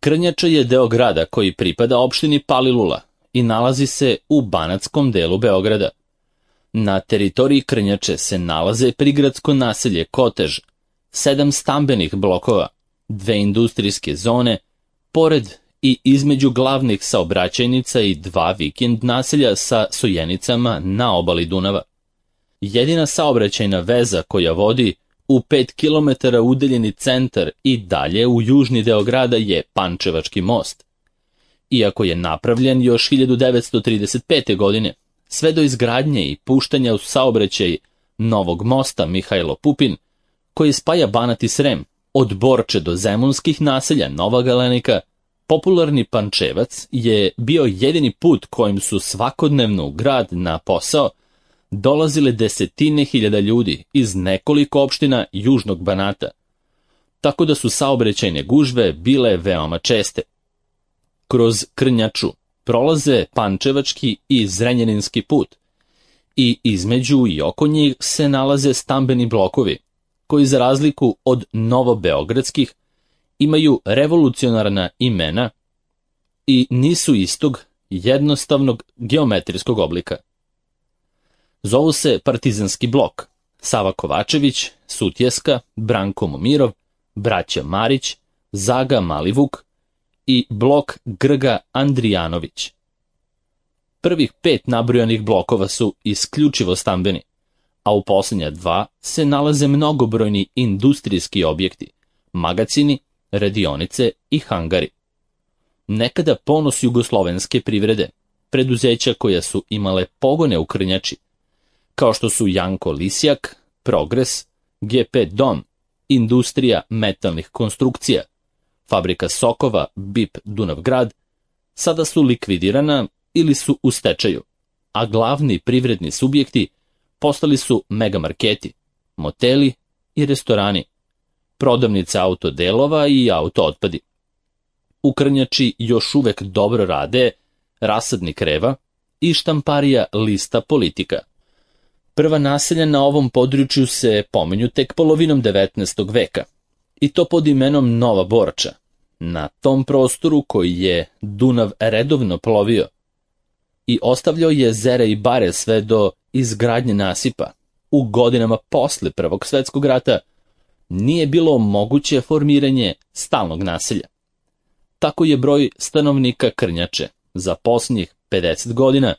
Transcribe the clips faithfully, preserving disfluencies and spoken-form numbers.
Krnjača je deo grada koji pripada opštini Palilula i nalazi se u banatskom delu Beograda. Na teritoriji Krnjače se nalaze prigradsko naselje Kotež, sedam stambenih blokova, dve industrijske zone, pored i između glavnih saobraćajnica i dva vikend naselja sa sojenicama na obali Dunava. Jedina saobraćajna veza koja vodi u pet kilometara udaljeni centar i dalje u južni deo grada je Pančevački most. Iako je napravljen još hiljadu devetsto trideset pete. godine, sve do izgradnje i puštanja u saobraćaj novog mosta Mihajlo Pupin, koji spaja Banat i Srem, od Borče do zemunskih naselja Nova Galenika, popularni Pančevac je bio jedini put kojim su svakodnevno u grad na posao dolazile desetine hiljada ljudi iz nekoliko opština južnog Banata, tako da su saobraćajne gužve bile veoma česte. Kroz Krnjaču prolaze Pančevački i Zrenjaninski put i između i oko njih se nalaze stambeni blokovi, koji za razliku od novobeogradskih imaju revolucionarna imena i nisu istog jednostavnog geometrijskog oblika. Zovu se Partizanski blok, Sava Kovačević, Sutjeska, Branko Momirov, braća Marić, Zaga Malivuk i blok Grga Andrijanović. Prvih pet nabrojanih blokova su isključivo stambeni, a u posljednja dva se nalaze mnogobrojni industrijski objekti, magacini, radionice i hangari. Nekada ponos jugoslovenske privrede, preduzeća koja su imale pogone u Krnjači, kao što su Janko Lisjak, Progres, G P Dom, Industrija metalnih konstrukcija, Fabrika sokova B I P Dunavgrad, sada su likvidirana ili su u stečaju, a glavni privredni subjekti postali su megamarketi, moteli i restorani, prodavnice autodelova i autootpadi. U Krnjači još uvek dobro rade Rasadnik Reva i štamparija Lista Politika. Prva naselja na ovom području se pominju tek polovinom devetnaestog veka, i to pod imenom Nova Borča, na tom prostoru koji je Dunav redovno plovio i ostavljao jezera i bare sve do izgradnje nasipa. U godinama posle Prvog svetskog rata nije bilo moguće formiranje stalnog naselja. Tako je broj stanovnika Krnjače za posljednjih pedeset godina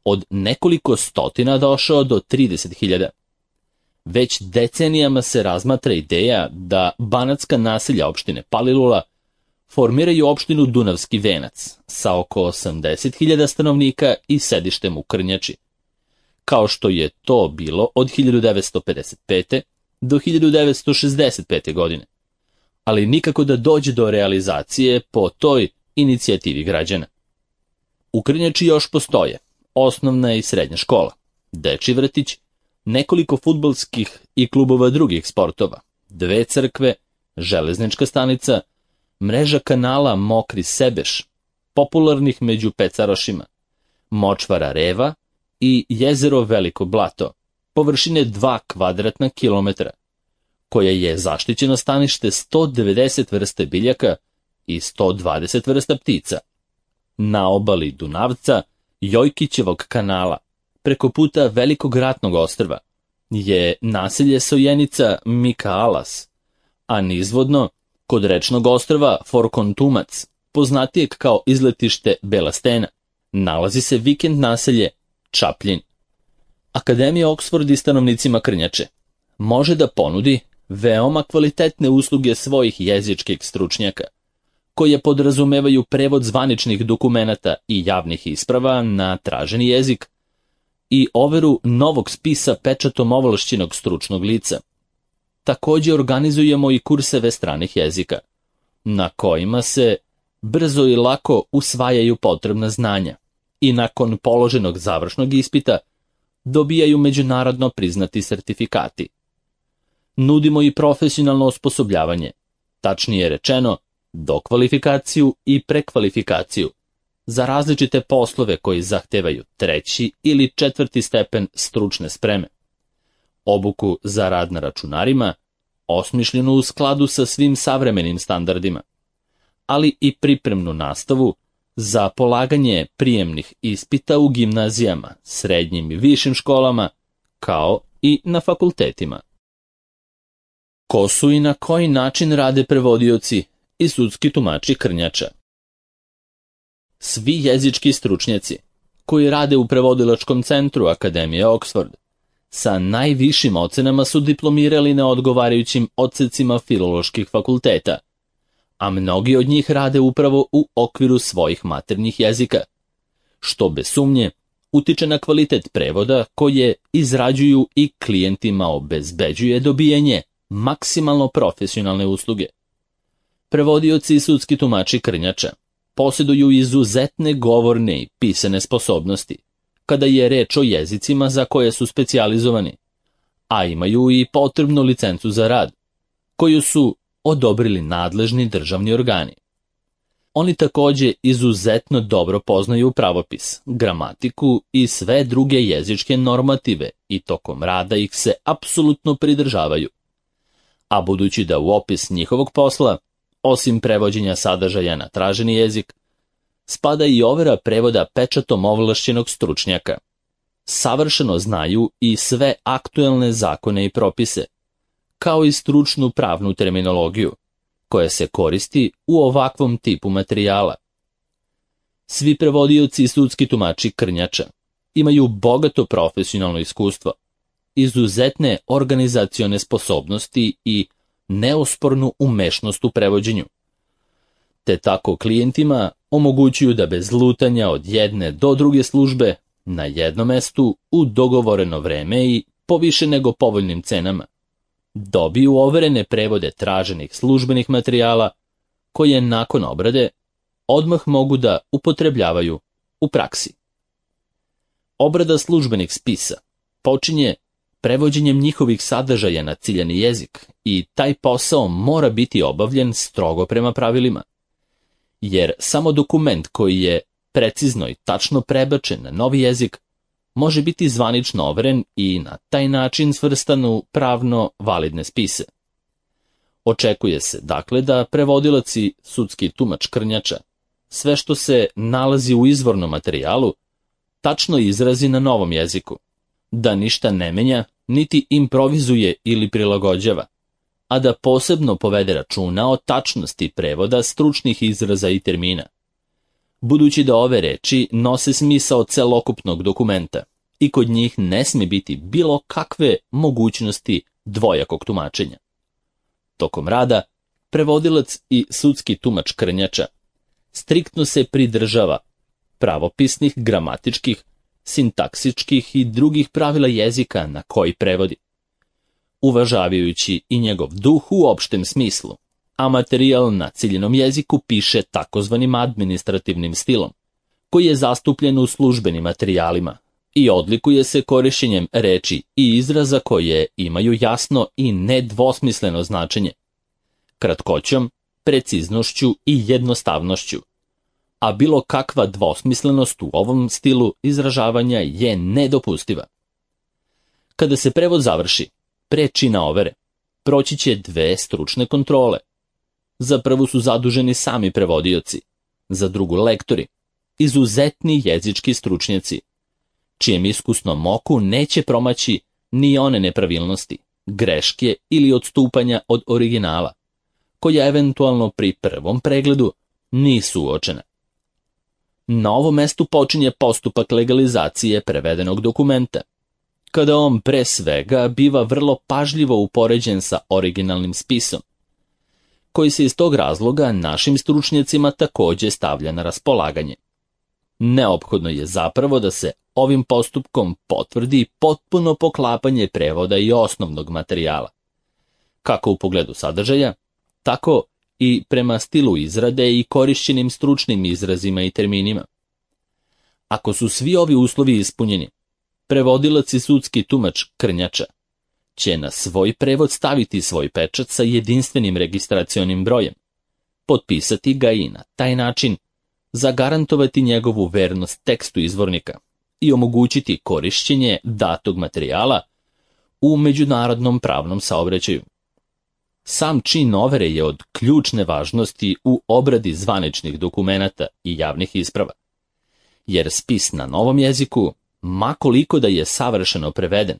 od nekoliko stotina došao do trideset hiljada. Već decenijama se razmatra ideja da banatska naselja opštine Palilula formiraju opštinu Dunavski Venac sa oko osamdeset hiljada stanovnika i sedištem u Krnjači, kao što je to bilo od hiljadu devetsto pedeset pete. do hiljadu devetsto šezdeset pete. godine, ali nikako da dođe do realizacije po toj inicijativi građana. U Krnjači još postoje osnovna i srednja škola, dečji vrtić, nekoliko fudbalskih i klubova drugih sportova, dve crkve, železnička stanica, mreža kanala Mokri Sebeš, popularnih među pecarošima, močvara Reva i jezero Veliko Blato, površine dva kvadratna kilometra, koja je zaštićeno stanište sto devedeset vrste biljaka i sto dvadeset vrsta ptica. Na obali Dunavca, Jojkićevog kanala, preko puta Velikog ratnog ostrva, je naselje Sojenica Mikaalas, a nizvodno, kod rečnog ostrva Forkontumac, poznatijeg kao izletište Bela Stena, nalazi se vikend naselje Čapljin. Akademija Oksford i stanovnicima Krnjače može da ponudi veoma kvalitetne usluge svojih jezičkih stručnjaka, koje podrazumevaju prevod zvaničnih dokumenata i javnih isprava na traženi jezik i overu novog spisa pečatom ovlašćenog stručnog lica. Također organizujemo i kurseve stranih jezika, na kojima se brzo i lako usvajaju potrebna znanja i nakon položenog završnog ispita dobijaju međunarodno priznati sertifikati. Nudimo i profesionalno osposobljavanje, tačnije rečeno, dokvalifikaciju i prekvalifikaciju za različite poslove koji zahtevaju treći ili četvrti stepen stručne spreme. Obuku za rad na računarima, osmišljenu u skladu sa svim savremenim standardima, ali i pripremnu nastavu za polaganje prijemnih ispita u gimnazijama, srednjim i višim školama, kao i na fakultetima. Ko su i na koji način rade prevodioci i sudski tumači krnjača? Svi jezički stručnjaci koji rade u prevodilačkom centru Akademije Oxford sa najvišim ocenama su diplomirali na odgovarajućim odsecima filoloških fakulteta, a mnogi od njih rade upravo u okviru svojih maternjih jezika, što bez sumnje utiče na kvalitet prevoda koje izrađuju i klijentima obezbeđuje dobijanje maksimalno profesionalne usluge. Prevodioci i sudski tumači krnjača posjeduju izuzetne govorne i pisane sposobnosti, kada je reč o jezicima za koje su specijalizovani, a imaju i potrebnu licencu za rad, koju su odobrili nadležni državni organi. Oni također izuzetno dobro poznaju pravopis, gramatiku i sve druge jezičke normative i tokom rada ih se apsolutno pridržavaju. A budući da u opis njihovog posla, osim prevođenja sadržaja na traženi jezik, spada i overa prevoda pečatom ovlašćenog stručnjaka, savršeno znaju i sve aktuelne zakone i propise, kao i stručnu pravnu terminologiju, koja se koristi u ovakvom tipu materijala. Svi prevodioci i sudski tumači krnjača imaju bogato profesionalno iskustvo, izuzetne organizacione sposobnosti i neospornu umešnost u prevođenju, te tako klijentima omogućuju da bez lutanja od jedne do druge službe na jednom mestu u dogovoreno vreme i po više nego povoljnim cenama dobiju overene prevode traženih službenih materijala koje nakon obrade odmah mogu da upotrebljavaju u praksi. Obrada službenih spisa počinje prevođenjem njihovih sadržaja na ciljani jezik i taj posao mora biti obavljen strogo prema pravilima, jer samo dokument koji je precizno i tačno prebačen na novi jezik može biti zvanično overen i na taj način svrstan u pravno validne spise. Očekuje se, dakle, da prevodilac i sudski tumač krnjača sve što se nalazi u izvornom materijalu tačno izrazi na novom jeziku, da ništa ne menja, niti improvizuje ili prilagođava, a da posebno povede računa o tačnosti prevoda stručnih izraza i termina, budući da ove reči nose smisao celokupnog dokumenta i kod njih ne smije biti bilo kakve mogućnosti dvojakog tumačenja. Tokom rada, prevodilac i sudski tumač krnjača striktno se pridržava pravopisnih, gramatičkih, sintaksičkih i drugih pravila jezika na koji prevodi, uvažavajući i njegov duh u opštem smislu, a materijal na ciljenom jeziku piše takozvanim administrativnim stilom, koji je zastupljen u službenim materijalima i odlikuje se korišćenjem reči i izraza koje imaju jasno i nedvosmisleno značenje, kratkoćom, preciznošću i jednostavnošću, a bilo kakva dvosmislenost u ovom stilu izražavanja je nedopustiva. Kada se prevod završi, pre čina overe, proći će dve stručne kontrole. Za prvu su zaduženi sami prevodioci, za drugu lektori, izuzetni jezički stručnjaci, čijem iskusnom oku neće promaći ni one nepravilnosti, greške ili odstupanja od originala, koja eventualno pri prvom pregledu nisu uočene. Na ovom mestu počinje postupak legalizacije prevedenog dokumenta, kada on pre svega biva vrlo pažljivo upoređen sa originalnim spisom, koji se iz tog razloga našim stručnjacima također stavlja na raspolaganje. Neophodno je zapravo da se ovim postupkom potvrdi potpuno poklapanje prevoda i osnovnog materijala, kako u pogledu sadržaja, tako i prema stilu izrade i korišćenim stručnim izrazima i terminima. Ako su svi ovi uslovi ispunjeni, prevodilac i sudski tumač krnjača će na svoj prevod staviti svoj pečat sa jedinstvenim registracionim brojem, potpisati ga i na taj način zagarantovati njegovu vernost tekstu izvornika i omogućiti korišćenje datog materijala u međunarodnom pravnom saobraćaju. Sam čin overe je od ključne važnosti u obradi zvaničnih dokumenata i javnih isprava, jer spis na novom jeziku, ma koliko da je savršeno preveden,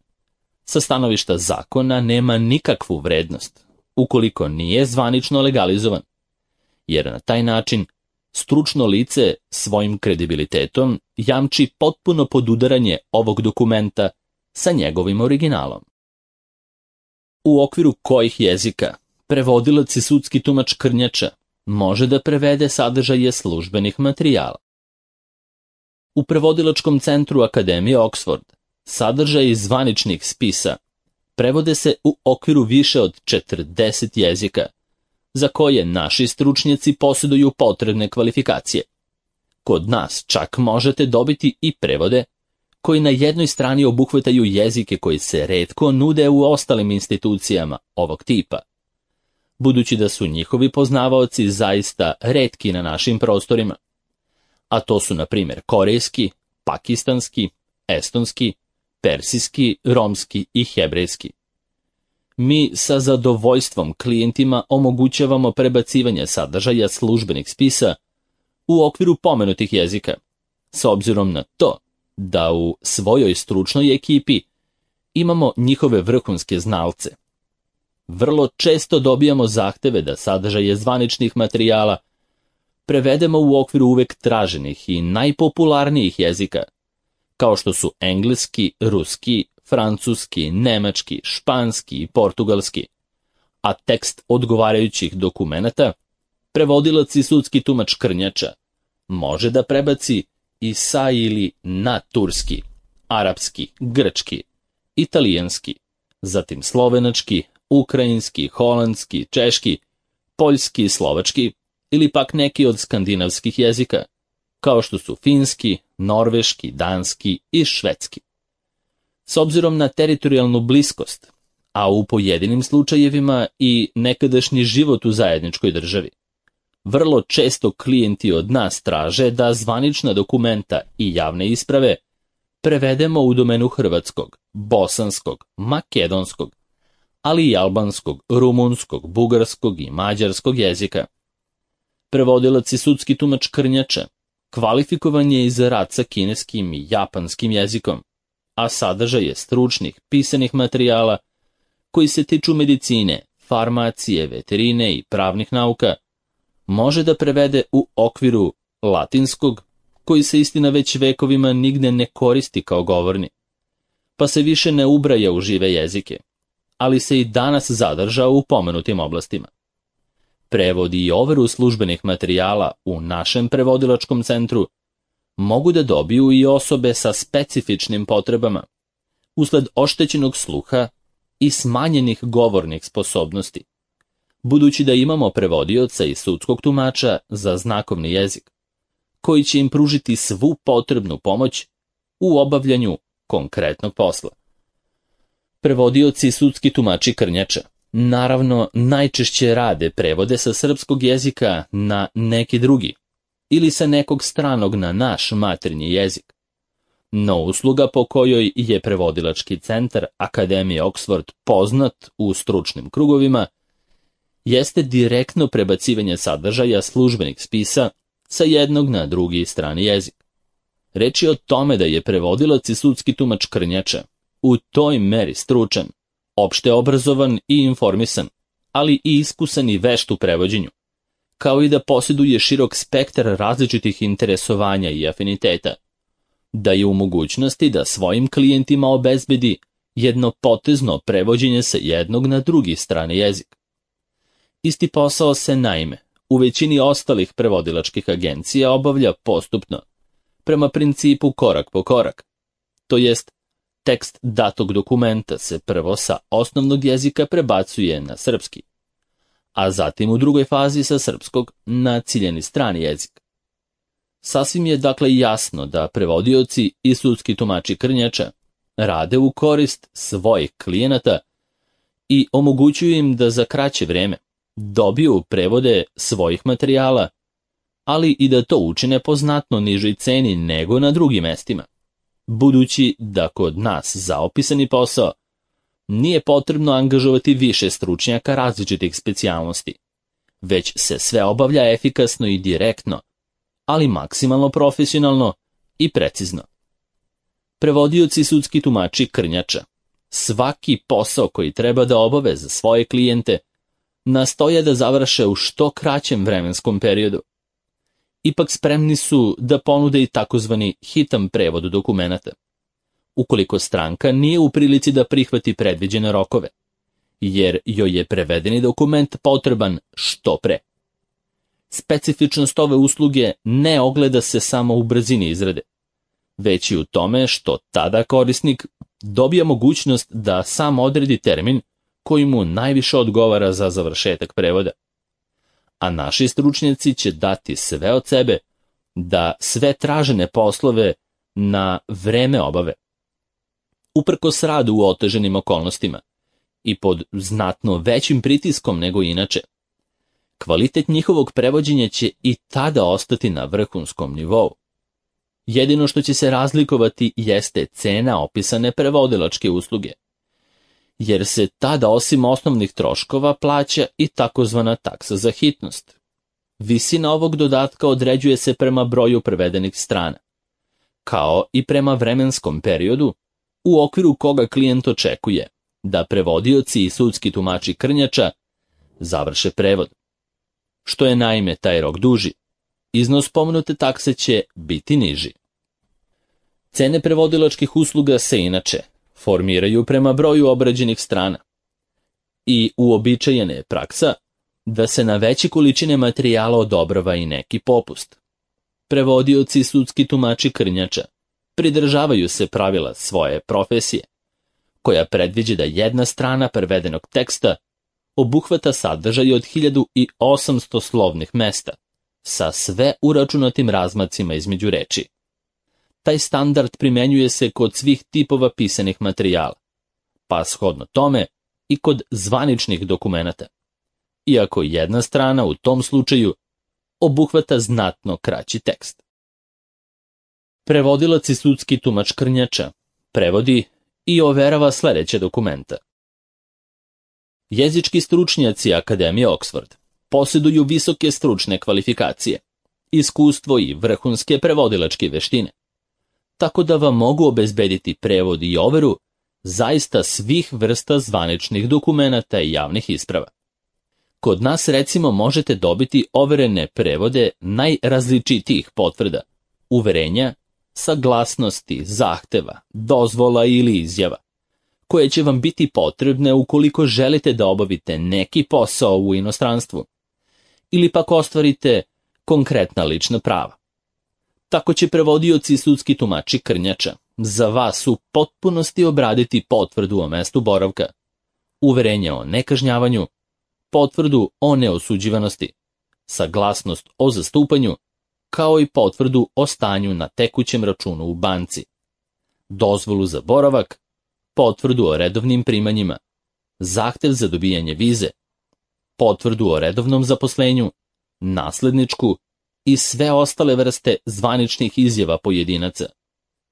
sa stanovišta zakona nema nikakvu vrednost, ukoliko nije zvanično legalizovan, jer na taj način stručno lice svojim kredibilitetom jamči potpuno podudaranje ovog dokumenta sa njegovim originalom. U okviru kojih jezika prevodilac i sudski tumač krnjača može da prevede sadržaje službenih materijala? U prevodilačkom centru Akademije Oxford sadržaji zvaničnih spisa prevode se u okviru više od četrdeset jezika, za koje naši stručnjaci posjeduju potrebne kvalifikacije. Kod nas čak možete dobiti i prevode koji na jednoj strani obuhvataju jezike koji se retko nude u ostalim institucijama ovog tipa, budući da su njihovi poznavaoci zaista retki na našim prostorima, a to su na primjer korejski, pakistanski, estonski, persijski, romski i hebrejski. Mi sa zadovoljstvom klijentima omogućavamo prebacivanje sadržaja službenih spisa u okviru pomenutih jezika, s obzirom na to da u svojoj stručnoj ekipi imamo njihove vrhunske znalce. Vrlo često dobijamo zahteve da sadržaje zvaničnih materijala prevedemo u okviru uvek traženih i najpopularnijih jezika, kao što su engleski, ruski, francuski, nemački, španski i portugalski, a tekst odgovarajućih dokumenata prevodilac i sudski tumač krnjača može da prebaci i sa ili na turski, arapski, grčki, italijanski, zatim slovenački, ukrajinski, holandski, češki, poljski, slovački ili pak neki od skandinavskih jezika, kao što su finski, norveški, danski i švedski. S obzirom na teritorijalnu bliskost, a u pojedinim slučajevima i nekadašnji život u zajedničkoj državi, vrlo često klijenti od nas traže da zvanična dokumenta i javne isprave prevedemo u domenu hrvatskog, bosanskog, makedonskog, ali i albanskog, rumunskog, bugarskog i mađarskog jezika. Prevodilac i sudski tumač krnjača kvalifikovan je i za rad sa kineskim i japanskim jezikom, a sadržaje stručnih pisanih materijala koji se tiču medicine, farmacije, veterine i pravnih nauka može da prevede u okviru latinskog, koji se istina već vekovima nigde ne koristi kao govorni, pa se više ne ubraja u žive jezike, ali se i danas zadržao u pomenutim oblastima. Prevodi i overu službenih materijala u našem prevodilačkom centru mogu da dobiju i osobe sa specifičnim potrebama, usled oštećenog sluha i smanjenih govornih sposobnosti, budući da imamo prevodioca i sudskog tumača za znakovni jezik, koji će im pružiti svu potrebnu pomoć u obavljanju konkretnog posla. Prevodioci i sudski tumači krnjača naravno najčešće rade prevode sa srpskog jezika na neki drugi ili sa nekog stranog na naš maternji jezik. No usluga po kojoj je prevodilački centar Akademije Oxford poznat u stručnim krugovima jeste direktno prebacivanje sadržaja službenih spisa sa jednog na drugi strani jezik. Reč je o tome da je prevodilac i sudski tumač krnjača u toj meri stručan, opšte obrazovan i informisan, ali i iskusan i vešt u prevođenju, kao i da posjeduje širok spektar različitih interesovanja i afiniteta, da je u mogućnosti da svojim klijentima obezbedi jedno potezno prevođenje sa jednog na drugi strani jezik. Isti posao se naime u većini ostalih prevodilačkih agencija obavlja postupno, prema principu korak po korak, to jest tekst datog dokumenta se prvo sa osnovnog jezika prebacuje na srpski, a zatim u drugoj fazi sa srpskog na ciljani strani jezik. Sasvim je dakle jasno da prevodioci i sudski tumači krnjača rade u korist svojih klijenata i omogućuju im da za kraće vreme dobiju prevode svojih materijala, ali i da to učine po znatno nižoj ceni nego na drugim mestima, budući da kod nas za opisani posao nije potrebno angažovati više stručnjaka različitih specijalnosti, već se sve obavlja efikasno i direktno, ali maksimalno profesionalno i precizno. Prevodioci i sudski tumači krnjača svaki posao koji treba da obave za svoje klijente nastoje da završe u što kraćem vremenskom periodu. Ipak spremni su da ponude i takozvani hitan prevod dokumenata, ukoliko stranka nije u prilici da prihvati predviđene rokove, jer joj je prevedeni dokument potreban što pre. Specifičnost ove usluge ne ogleda se samo u brzini izrade, već i u tome što tada korisnik dobija mogućnost da sam odredi termin koji mu najviše odgovara za završetak prevoda. A naši stručnjaci će dati sve od sebe da sve tražene poslove na vreme obave. Uprkos radu u oteženim okolnostima i pod znatno većim pritiskom nego inače, kvalitet njihovog prevođenja će i tada ostati na vrhunskom nivou. Jedino što će se razlikovati jeste cena opisane prevodilačke usluge, jer se tada osim osnovnih troškova plaća i takozvana taksa za hitnost. Visina ovog dodatka određuje se prema broju prevedenih strana, kao i prema vremenskom periodu u okviru koga klijent očekuje da prevodioci i sudski tumači krnjača završe prevod. Što je naime taj rok duži, iznos pomenute takse će biti niži. Cene prevodilačkih usluga se inače formiraju prema broju obrađenih strana i uobičajena je praksa da se na veće količine materijala odobrava i neki popust. Prevodioci i sudski tumači krnjača pridržavaju se pravila svoje profesije, koja predviđa da jedna strana prevedenog teksta obuhvata sadržaj od hiljadu osamsto slovnih mesta, sa sve uračunatim razmacima između reči. Taj standard primenjuje se kod svih tipova pisanih materijala, pa shodno tome i kod zvaničnih dokumenata, iako jedna strana u tom slučaju obuhvata znatno kraći tekst. Prevodilac i sudski tumač krnjača prevodi i overava sledeće dokumenta. Jezički stručnjaci Akademije Oxford posjeduju visoke stručne kvalifikacije, iskustvo i vrhunske prevodilačke veštine, tako da vam mogu obezbediti prevod i overu zaista svih vrsta zvaničnih dokumenata i javnih isprava. Kod nas recimo možete dobiti overene prevode najrazličitijih potvrda, uverenja, saglasnosti, zahteva, dozvola ili izjava, koje će vam biti potrebne ukoliko želite da obavite neki posao u inostranstvu, ili pak ostvarite konkretna lična prava. Tako će prevodioci i sudski tumači krnjača za vas u potpunosti obraditi potvrdu o mestu boravka, uverenje o nekažnjavanju, potvrdu o neosuđivanosti, saglasnost o zastupanju, kao i potvrdu o stanju na tekućem računu u banci, dozvolu za boravak, potvrdu o redovnim primanjima, zahtev za dobijanje vize, potvrdu o redovnom zaposlenju, nasledničku i sve ostale vrste zvaničnih izjava pojedinaca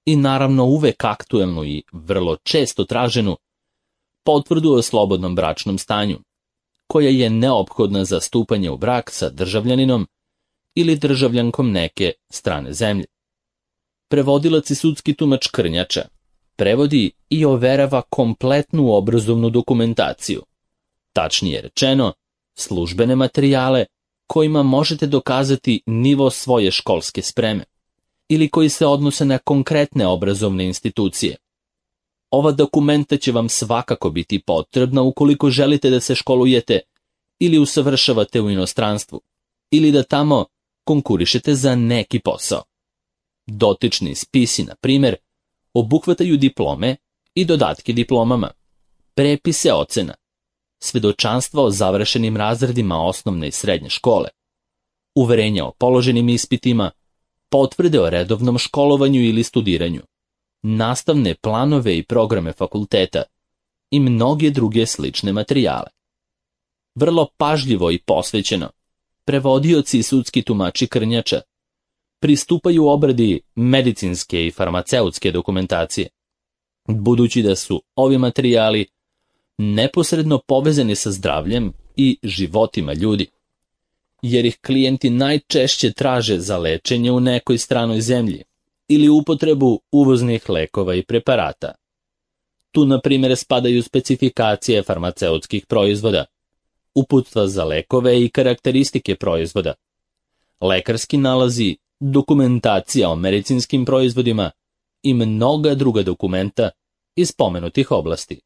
i naravno uvek aktuelnu i vrlo često traženu potvrdu o slobodnom bračnom stanju, koja je neophodna za stupanje u brak sa državljaninom ili državljankom neke strane zemlje. Prevodilac i sudski tumač krnjača prevodi i overava kompletnu obrazovnu dokumentaciju, tačnije rečeno, službene materijale kojima možete dokazati nivo svoje školske spreme ili koji se odnose na konkretne obrazovne institucije. Ova dokumenta će vam svakako biti potrebna ukoliko želite da se školujete ili usavršavate u inostranstvu ili da tamo konkurišete za neki posao. Dotični spisi, na primjer, obuhvataju diplome i dodatke diplomama, prepise ocena, svedočanstva o završenim razredima osnovne i srednje škole, uverenja o položenim ispitima, potvrde o redovnom školovanju ili studiranju, nastavne planove i programe fakulteta i mnoge druge slične materijale. Vrlo pažljivo i posvećeno, prevodioci i sudski tumači krnjača pristupaju obradi medicinske i farmaceutske dokumentacije, budući da su ovi materijali neposredno povezani sa zdravljem i životima ljudi, jer ih klijenti najčešće traže za lečenje u nekoj stranoj zemlji ili upotrebu uvoznih lekova i preparata. Tu, na primjer, spadaju specifikacije farmaceutskih proizvoda, uputstva za lekove i karakteristike proizvoda, lekarski nalazi, dokumentacija o medicinskim proizvodima i mnoga druga dokumenta iz pomenutih oblasti.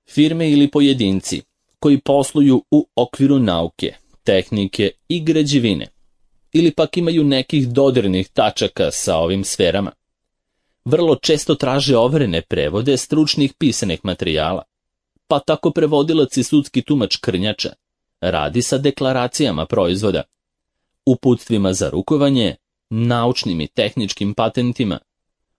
Firme ili pojedinci koji posluju u okviru nauke, tehnike i građevine ili pak imaju nekih dodirnih tačaka sa ovim sferama, vrlo često traže overene prevode stručnih pisanih materijala, pa tako prevodilac i sudski tumač krnjača radi sa deklaracijama proizvoda, uputstvima za rukovanje, naučnim i tehničkim patentima,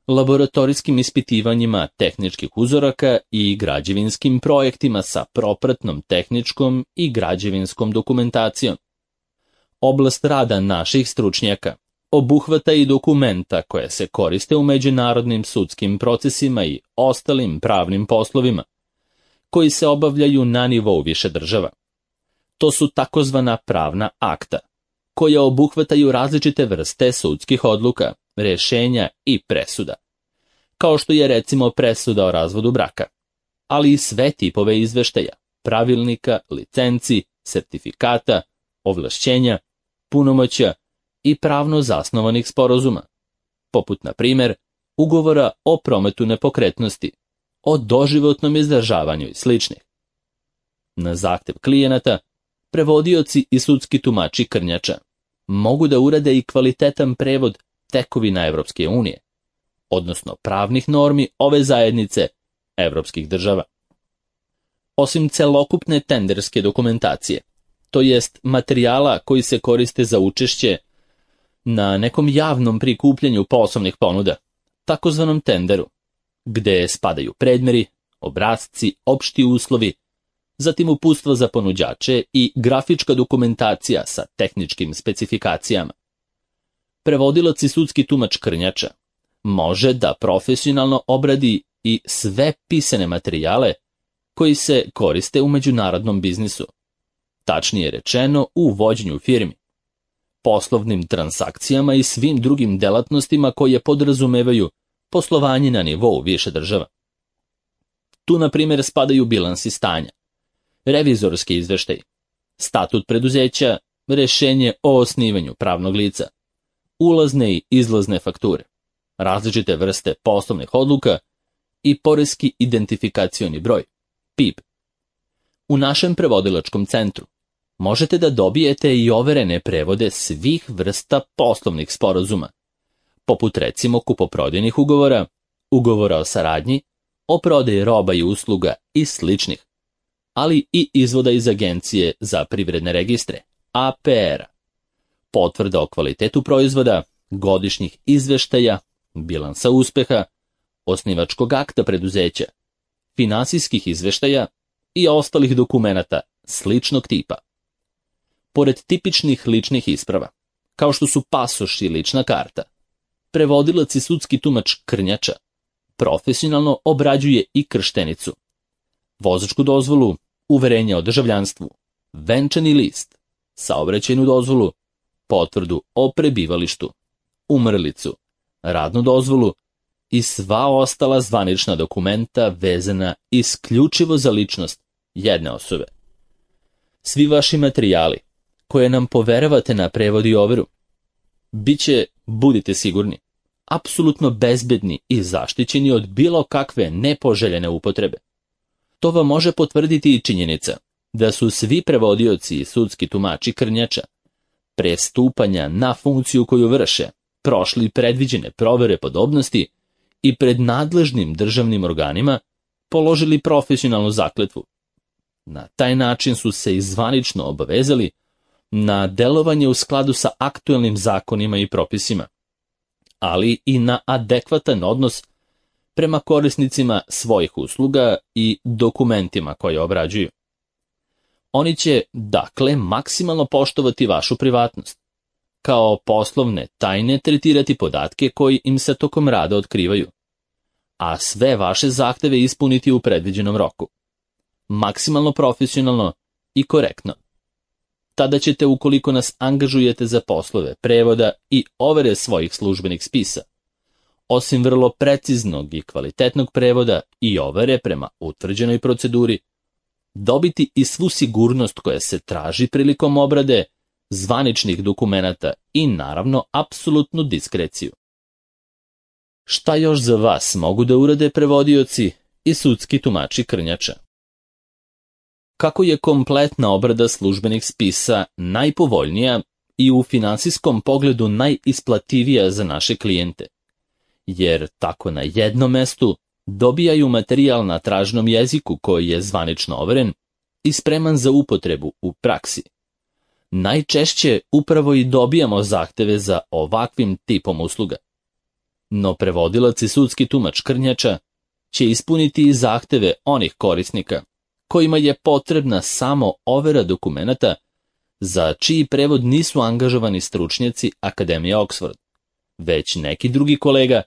laboratorijskim ispitivanjima tehničkih uzoraka i građevinskim projektima sa propratnom tehničkom i građevinskom dokumentacijom. Oblast rada naših stručnjaka obuhvata i dokumenta koje se koriste u međunarodnim sudskim procesima i ostalim pravnim poslovima, koji se obavljaju na nivou više država. To su takozvana pravna akta, koja obuhvataju različite vrste sudskih odluka, rješenja i presuda, kao što je recimo presuda o razvodu braka, ali i sve tipove izveštaja, pravilnika, licenci, sertifikata, ovlašćenja, punomoćja i pravno zasnovanih sporazuma, poput, na primjer, ugovora o prometu nepokretnosti, o doživotnom izdržavanju i sličnih. Na zahtev klijenata, prevodioci i sudski tumači krnjača mogu da urade i kvalitetan prevod tekovina Evropske unije, odnosno pravnih normi ove zajednice evropskih država. Osim celokupne tenderske dokumentacije, to jest materijala koji se koriste za učešće na nekom javnom prikupljanju poslovnih ponuda, takozvanom tenderu, gde spadaju predmeri, obrasci, opšti uslovi, zatim uputstva za ponuđače i grafička dokumentacija sa tehničkim specifikacijama. Prevodilac i sudski tumač krnjača može da profesionalno obradi i sve pisane materijale koji se koriste u međunarodnom biznisu, tačnije rečeno u vođenju firmi, poslovnim transakcijama i svim drugim delatnostima koje podrazumevaju poslovanje na nivou više država. Tu, na primjer, spadaju bilansi stanja, revizorski izveštaj, statut preduzeća, rješenje o osnivanju pravnog lica, ulazne i izlazne fakture, različite vrste poslovnih odluka i poreski identifikacioni broj, P I B. U našem prevodilačkom centru možete da dobijete i overene prevode svih vrsta poslovnih sporazuma, poput recimo kupoprodajnih ugovora, ugovora o saradnji, o prodaji roba i usluga i sličnih, ali i izvoda iz Agencije za privredne registre, A P R-a, potvrda o kvalitetu proizvoda, godišnjih izveštaja, bilansa uspeha, osnivačkog akta preduzeća, finansijskih izveštaja i ostalih dokumenata sličnog tipa. Pored tipičnih ličnih isprava, kao što su pasoš i lična karta, prevodilac i sudski tumač krnjača profesionalno obrađuje i krštenicu, vozačku dozvolu, uverenje o državljanstvu, venčani list, saobraćajnu dozvolu, potvrdu o prebivalištu, umrlicu, radnu dozvolu i sva ostala zvanična dokumenta vezana isključivo za ličnost jedne osobe. Svi vaši materijali koje nam poveravate na prevod i overu biće, budite sigurni, apsolutno bezbedni i zaštićeni od bilo kakve nepoželjene upotrebe. To vam može potvrditi i činjenica da su svi prevodioci i sudski tumači krnjača pre stupanja na funkciju koju vrše prošli predviđene provere podobnosti i pred nadležnim državnim organima položili profesionalnu zakletvu. Na taj način su se i zvanično obavezali na delovanje u skladu sa aktuelnim zakonima i propisima, ali i na adekvatan odnos prema korisnicima svojih usluga i dokumentima koje obrađuju. Oni će, dakle, maksimalno poštovati vašu privatnost, kao poslovne tajne tretirati podatke koji im se tokom rada otkrivaju, a sve vaše zahteve ispuniti u predviđenom roku. maksimalno profesionalno i korektno. Tada ćete, ukoliko nas angažujete za poslove prevoda i overe svojih službenih spisa, osim vrlo preciznog i kvalitetnog prevoda i overe prema utvrđenoj proceduri, dobiti i svu sigurnost koja se traži prilikom obrade zvaničnih dokumenata i naravno apsolutnu diskreciju. Šta još za vas mogu da urade prevodioci i sudski tumači krnjača? Kako je kompletna obrada službenih spisa najpovoljnija i u finansijskom pogledu najisplativija za naše klijente, jer tako na jednom mestu dobijaju materijal na tražnom jeziku koji je zvanično overen i spreman za upotrebu u praksi. Najčešće upravo i dobijamo zahteve za ovakvim tipom usluga. No prevodilac i sudski tumač krnjača će ispuniti i zahteve onih korisnika kojima je potrebna samo overa dokumenata, za čiji prevod nisu angažovani stručnjaci Akademije Oxford, već neki drugi kolega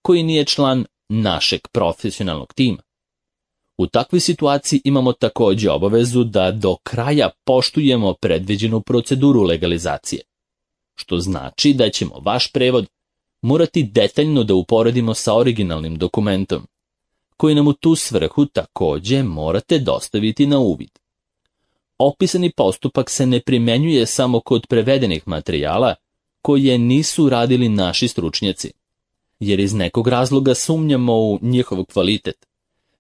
koji nije član našeg profesionalnog tima. U takvoj situaciji imamo također obavezu da do kraja poštujemo predviđenu proceduru legalizacije, što znači da ćemo vaš prevod morati detaljno da uporedimo sa originalnim dokumentom, koji nam u tu svrhu također morate dostaviti na uvid. Opisani postupak se ne primjenjuje samo kod prevedenih materijala koje nisu radili naši stručnjaci, jer iz nekog razloga sumnjamo u njihov kvalitet,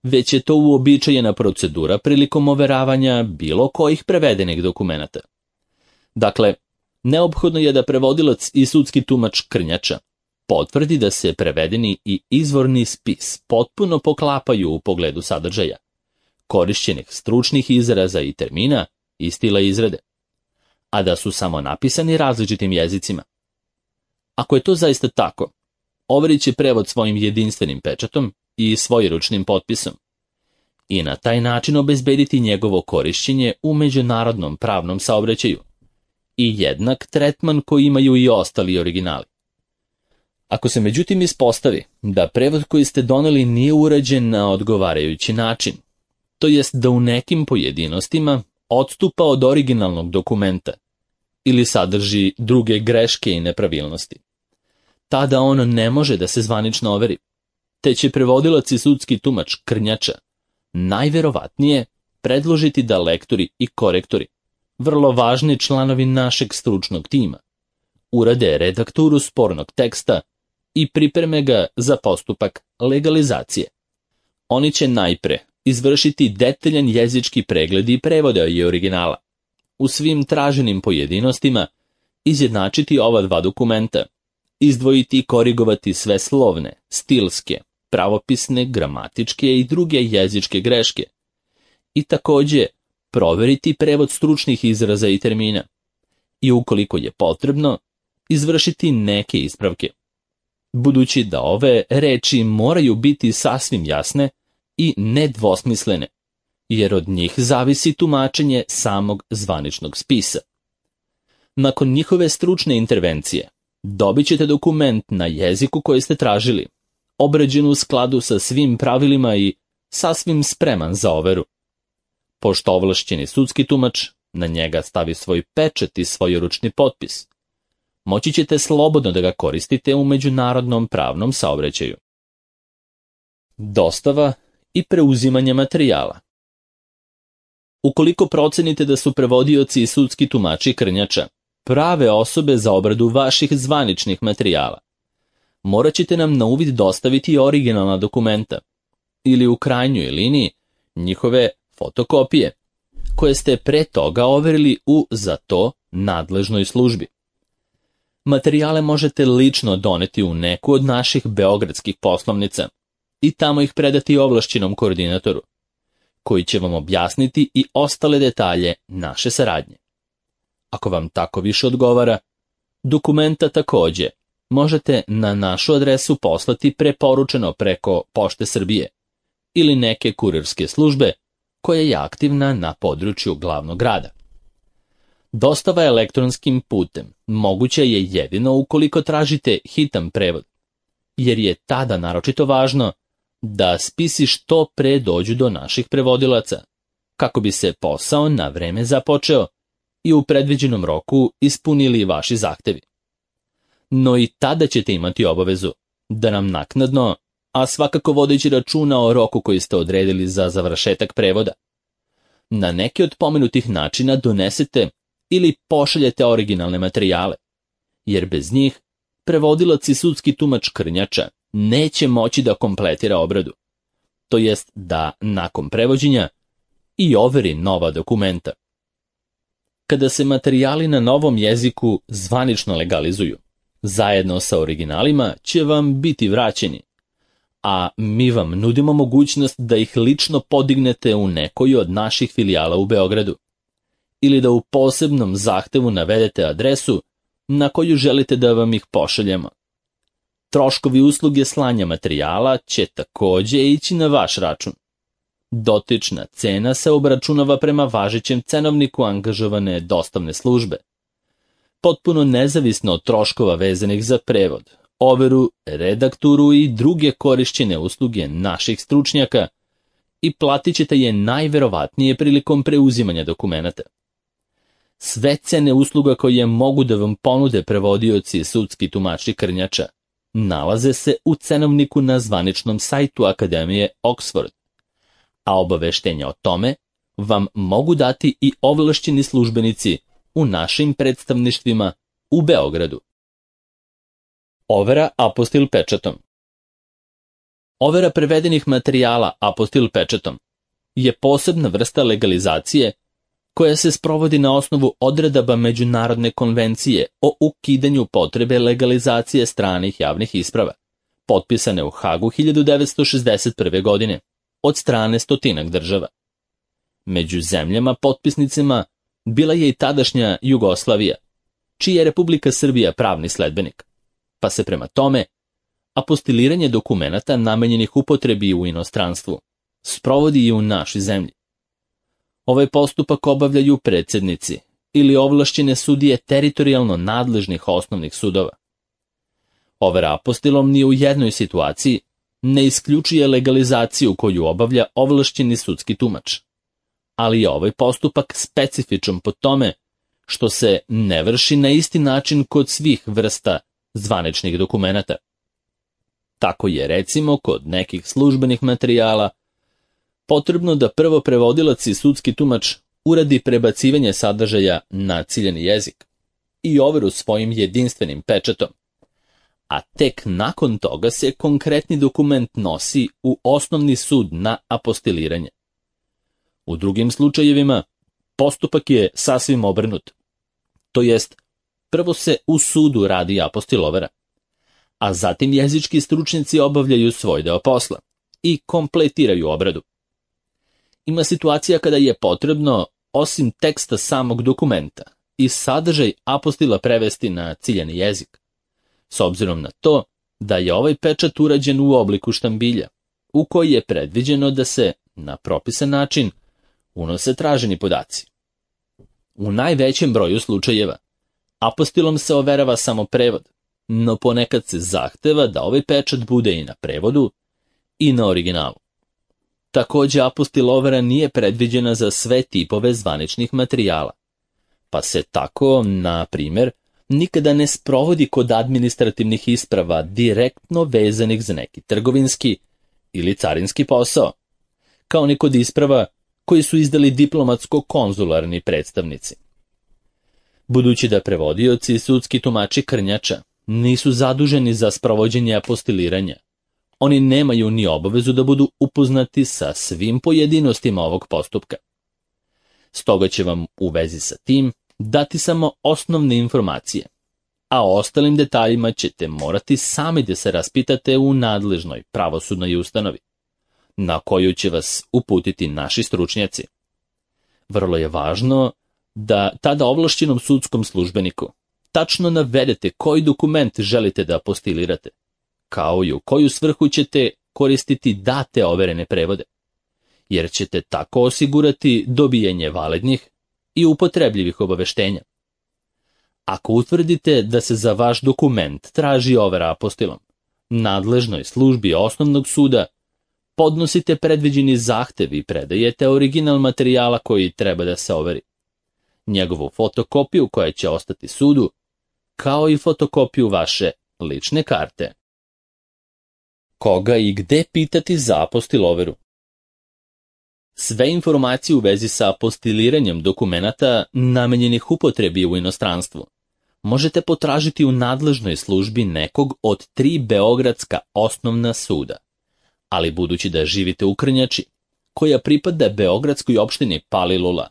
već je to uobičajena procedura prilikom overavanja bilo kojih prevedenih dokumenata. Dakle, neophodno je da prevodilac i sudski tumač krnjača potvrdi da se prevedeni i izvorni spis potpuno poklapaju u pogledu sadržaja, korišćenih stručnih izraza i termina i stila izrade, a da su samo napisani različitim jezicima. Ako je to zaista tako, overit će prevod svojim jedinstvenim pečatom i svojeručnim potpisom i na taj način obezbediti njegovo korišćenje u međunarodnom pravnom saobraćaju i jednak tretman koji imaju i ostali originali. Ako se međutim ispostavi da prevod koji ste doneli nije urađen na odgovarajući način, to jest da u nekim pojedinostima odstupa od originalnog dokumenta ili sadrži druge greške i nepravilnosti, tada on ne može da se zvanično overi, te će prevodilac i sudski tumač krnjača najverovatnije predložiti da lektori i korektori, vrlo važni članovi našeg stručnog tima, urade redakturu spornog teksta i pripreme ga za postupak legalizacije. Oni će najpre izvršiti detaljan jezički pregled i prevoda i originala, u svim traženim pojedinostima izjednačiti ova dva dokumenta, izdvojiti i korigovati sve slovne, stilske, pravopisne, gramatičke i druge jezičke greške i također proveriti prevod stručnih izraza i termina i ukoliko je potrebno, izvršiti neke ispravke, budući da ove reči moraju biti sasvim jasne i nedvosmislene, jer od njih zavisi tumačenje samog zvaničnog spisa. Nakon njihove stručne intervencije, dobit ćete dokument na jeziku koji ste tražili, obrađen u skladu sa svim pravilima i sasvim spreman za overu. Pošto ovlašćeni sudski tumač na njega stavi svoj pečat i svojeručni potpis, moći ćete slobodno da ga koristite u međunarodnom pravnom saobraćaju. Dostava i preuzimanje materijala. Ukoliko procenite da su prevodioci i sudski tumači krnjača prave osobe za obradu vaših zvaničnih materijala, morat ćete nam na uvid dostaviti originalna dokumenta ili u krajnjoj liniji njihove fotokopije, koje ste pre toga overili u za to nadležnoj službi. Materijale možete lično doneti u neku od naših beogradskih poslovnica i tamo ih predati ovlašćenom koordinatoru, koji će vam objasniti i ostale detalje naše saradnje. Ako vam tako više odgovara, dokumenta također možete na našu adresu poslati preporučeno preko Pošte Srbije ili neke kurirske službe koja je aktivna na području glavnog grada. Dostava elektronskim putem moguća je jedino ukoliko tražite hitan prevod, jer je tada naročito važno da spisi što pre dođu do naših prevodilaca, kako bi se posao na vreme započeo i u predviđenom roku ispunili vaši zahtevi. No i tada ćete imati obavezu da nam naknadno, a svakako vodeći računa o roku koji ste odredili za završetak prevoda, na neki od pomenutih načina donesete ili pošaljete originalne materijale, jer bez njih prevodilac i sudski tumač Krnjača neće moći da kompletira obradu, to jest da nakon prevođenja i overi nova dokumenta. Kada se materijali na novom jeziku zvanično legalizuju, zajedno sa originalima će vam biti vraćeni, a mi vam nudimo mogućnost da ih lično podignete u nekoj od naših filijala u Beogradu, ili da u posebnom zahtevu navedete adresu na koju želite da vam ih pošaljemo. Troškovi usluge slanja materijala će takođe ići na vaš račun. Dotična cena se obračunava prema važećem cenovniku angažovane dostavne službe, potpuno nezavisno od troškova vezanih za prevod, overu, redakturu i druge korišćene usluge naših stručnjaka i platit ćete je najverovatnije prilikom preuzimanja dokumenata. Sve cene usluga koje mogu da vam ponude prevodioci i sudski tumači Krnjača nalaze se u cenovniku na zvaničnom sajtu Akademije Oxford, a obaveštenja o tome vam mogu dati i ovlašćeni službenici u našim predstavništvima u Beogradu. Overa apostil pečatom. Overa prevedenih materijala apostil pečatom je posebna vrsta legalizacije koja se sprovodi na osnovu odredaba Međunarodne konvencije o ukidanju potrebe legalizacije stranih javnih isprava, potpisane u Hagu hiljadu devetsto šezdeset prve. godine od strane stotinak država. Među zemljama potpisnicima bila je i tadašnja Jugoslavija, čija je Republika Srbija pravni sledbenik, pa se prema tome apostiliranje dokumenata namenjenih upotrebi u inostranstvu sprovodi i u našoj zemlji. Ovaj postupak obavljaju predsednici ili ovlašćene sudije teritorijalno nadležnih osnovnih sudova. Overa apostilom ni u jednoj situaciji ne isključuje legalizaciju koju obavlja ovlašćeni sudski tumač, ali je ovaj postupak specifičan po tome što se ne vrši na isti način kod svih vrsta zvaničnih dokumenata. Tako je recimo kod nekih službenih materijala potrebno da prvo prevodilac i sudski tumač uradi prebacivanje sadržaja na ciljani jezik i overu svojim jedinstvenim pečatom, a tek nakon toga se konkretni dokument nosi u osnovni sud na apostiliranje. U drugim slučajevima postupak je sasvim obrnut, to jest prvo se u sudu radi apostil overa, a zatim jezički stručnjaci obavljaju svoj deo posla i kompletiraju obradu. Ima situacija kada je potrebno, osim teksta samog dokumenta, i sadržaj apostila prevesti na ciljani jezik, s obzirom na to da je ovaj pečat urađen u obliku štambilja, u koji je predviđeno da se, na propisan način, unose traženi podaci. U najvećem broju slučajeva, apostilom se overava samo prevod, no ponekad se zahteva da ovaj pečat bude i na prevodu i na originalu. Takođe, apostil overa nije predviđena za sve tipove zvaničnih materijala, pa se tako, na primjer, nikada ne sprovodi kod administrativnih isprava direktno vezanih za neki trgovinski ili carinski posao, kao ni kod isprava koji su izdali diplomatsko-konzularni predstavnici. Budući da prevodioci i sudski tumači Krnjača nisu zaduženi za sprovođenje apostiliranja, oni nemaju ni obavezu da budu upoznati sa svim pojedinostima ovog postupka. Stoga će vam u vezi sa tim dati samo osnovne informacije, a o ostalim detaljima ćete morati sami da se raspitate u nadležnoj pravosudnoj ustanovi, na koju će vas uputiti naši stručnjaci. Vrlo je važno da tada ovlašćenom sudskom službeniku tačno navedete koji dokument želite da apostilirate, kao i u koju svrhu ćete koristiti date overene prevode, jer ćete tako osigurati dobijanje validnih i upotrebljivih obaveštenja. Ako utvrdite da se za vaš dokument traži overa apostilom, nadležnoj službi osnovnog suda podnosite predviđeni zahtev i predajete original materijala koji treba da se overi, njegovu fotokopiju koja će ostati sudu, kao i fotokopiju vaše lične karte. Koga i gde pitati za apostiloveru? Sve informacije u vezi sa apostiliranjem dokumenata namenjenih upotrebi u inostranstvu možete potražiti u nadležnoj službi nekog od tri beogradska osnovna suda. Ali budući da živite u Krnjači, koja pripada beogradskoj opštini Palilula,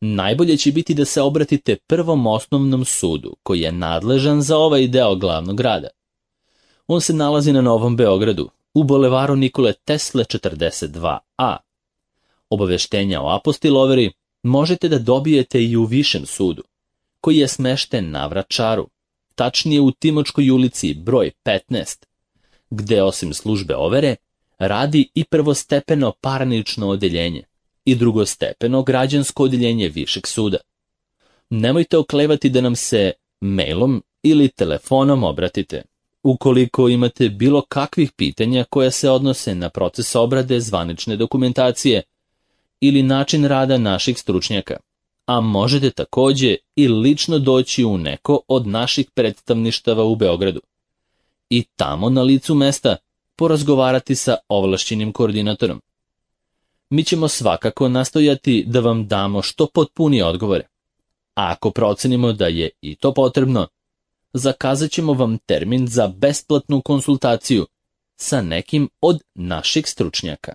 najbolje će biti da se obratite Prvom osnovnom sudu, koji je nadležan za ovaj deo glavnog grada. On se nalazi na Novom Beogradu, u bulevaru Nikole Tesle četrdeset dva a. Obaveštenja o apostiloveri možete da dobijete i u Višem sudu, koji je smešten na Vračaru, tačnije u Timočkoj ulici broj petnaest, gde osim službe overe radi i prvostepeno parnično odeljenje i drugostepeno građansko odeljenje Višeg suda. Nemojte oklevati da nam se mailom ili telefonom obratite, ukoliko imate bilo kakvih pitanja koja se odnose na proces obrade zvanične dokumentacije ili način rada naših stručnjaka, a možete takođe i lično doći u neko od naših predstavništava u Beogradu i tamo na licu mesta porazgovarati sa ovlašćenim koordinatorom. Mi ćemo svakako nastojati da vam damo što potpunije odgovore, a ako procenimo da je i to potrebno, zakazat ćemo vam termin za besplatnu konsultaciju sa nekim od naših stručnjaka.